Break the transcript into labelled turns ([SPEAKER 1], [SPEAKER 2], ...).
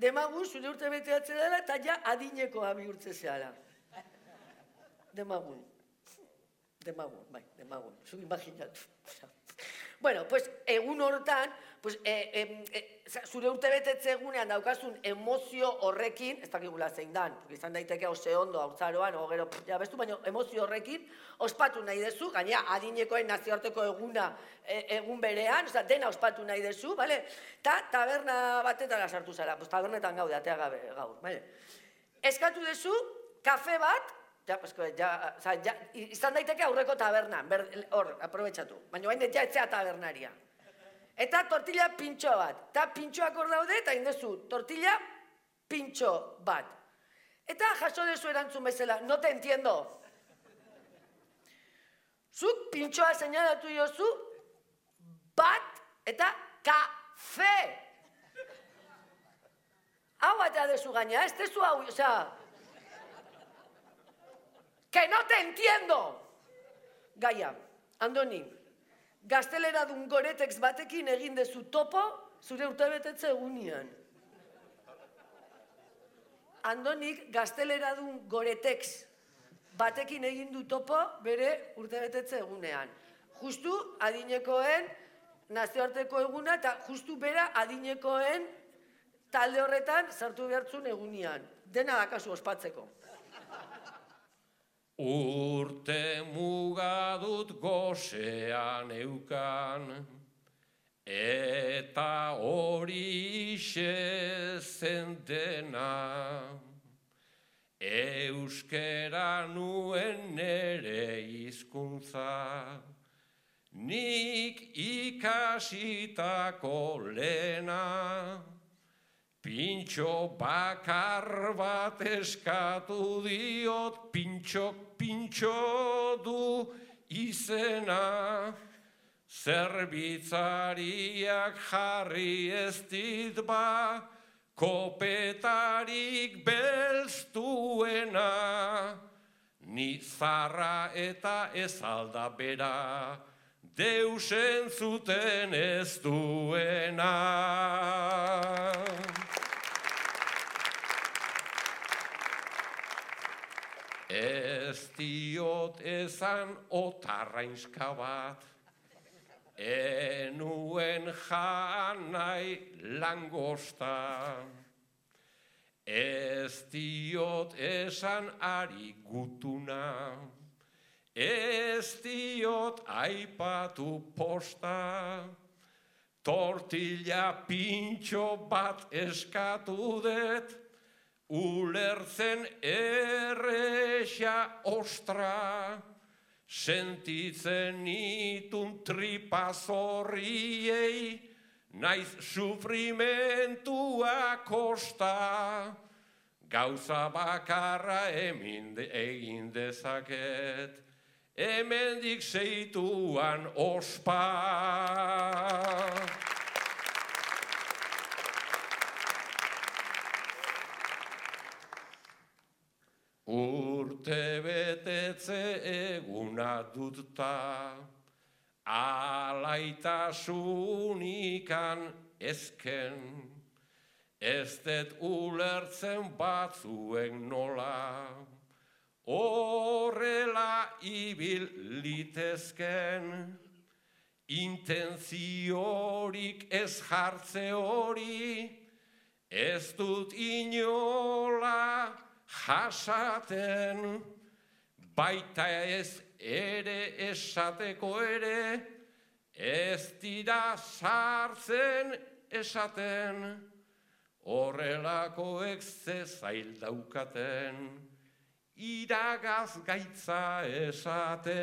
[SPEAKER 1] demagun zure urte beteatzen dela eta ja adinekoa bihurtze zehala. Demagun, bai, demagun, zu imaginatu. Bueno, pues, egun horretan, pues, zure urte betetze egunean daukazun emozio horrekin, ez dakigula zein dan, izan daiteke oso ondo, haurtzaroan, o gero, ja bestu, baina emozio horrekin ospatu nahi dezu, gainera adinekoen nazioarteko eguna egun berean, oza, dena ospatu nahi dezu, bale? Ta taberna batetara sartu zara, pues tabernetan gaude, atea gabe gaur, bale? Eskatu dezu, kafe bat, izan daiteke aurreko tabernan, hor, aprobetxatu, baina bain ja etzea tabernaria. Eta tortilla pintxo bat, eta pintxoak hor daude, eta indezu, tortilla pintxo bat. Eta jaso dezu erantzun bezala, no te entiendo. Zuk pintxoa seinalatu diozu, bat eta kafe. Hau batea dezu gaina, ez dezu hau, osea... Que no te entiendo! Gaia, Andoni, gazteleradun goretex batekin egin dezu topo zure urtebetetze egunean. Andonik gazteleradun goretex batekin egin du topo bere urtebetetze egunean. Justu adinekoen nazioarteko eguna eta justu bera adinekoen talde horretan sartu behartzun egunean. Dena dakazu ospatzeko.
[SPEAKER 2] Urte mugadut gosean eukan, eta hori zen dena. Euskera nuen nere hizkuntza, nik ikasitako lehena. Pintxo bakar bat eskatu diot, pintxok pintxo du izena. Zerbitzariak jarri ez dit ba, kopetarik belztuena. Ni zarra eta ez alda bera, deus entzuten ez duena. Ez diot ezan otarrainska bat, enuen janai langosta. Ez diot esan ari gutuna, ez diot aipatu posta. Tortilla pintxo bat eskatu det, ulertzen erresa ostra. Sentitzen itun tripazorriei, naiz sufrimentua kosta. Gauza bakarra egin dezaket, hemendik seituan ospa. Urte betetze eguna dutta, alaitasunikan ezken, ez det ulertzen batzuen nola, horrela ibil litezken, intentziorik ez jartze hori, ez dut inola jasaten, baita ez ere esateko ere, ez dira sartzen esaten, horrelakoek ze zail daukaten, iragaz gaitza esaten.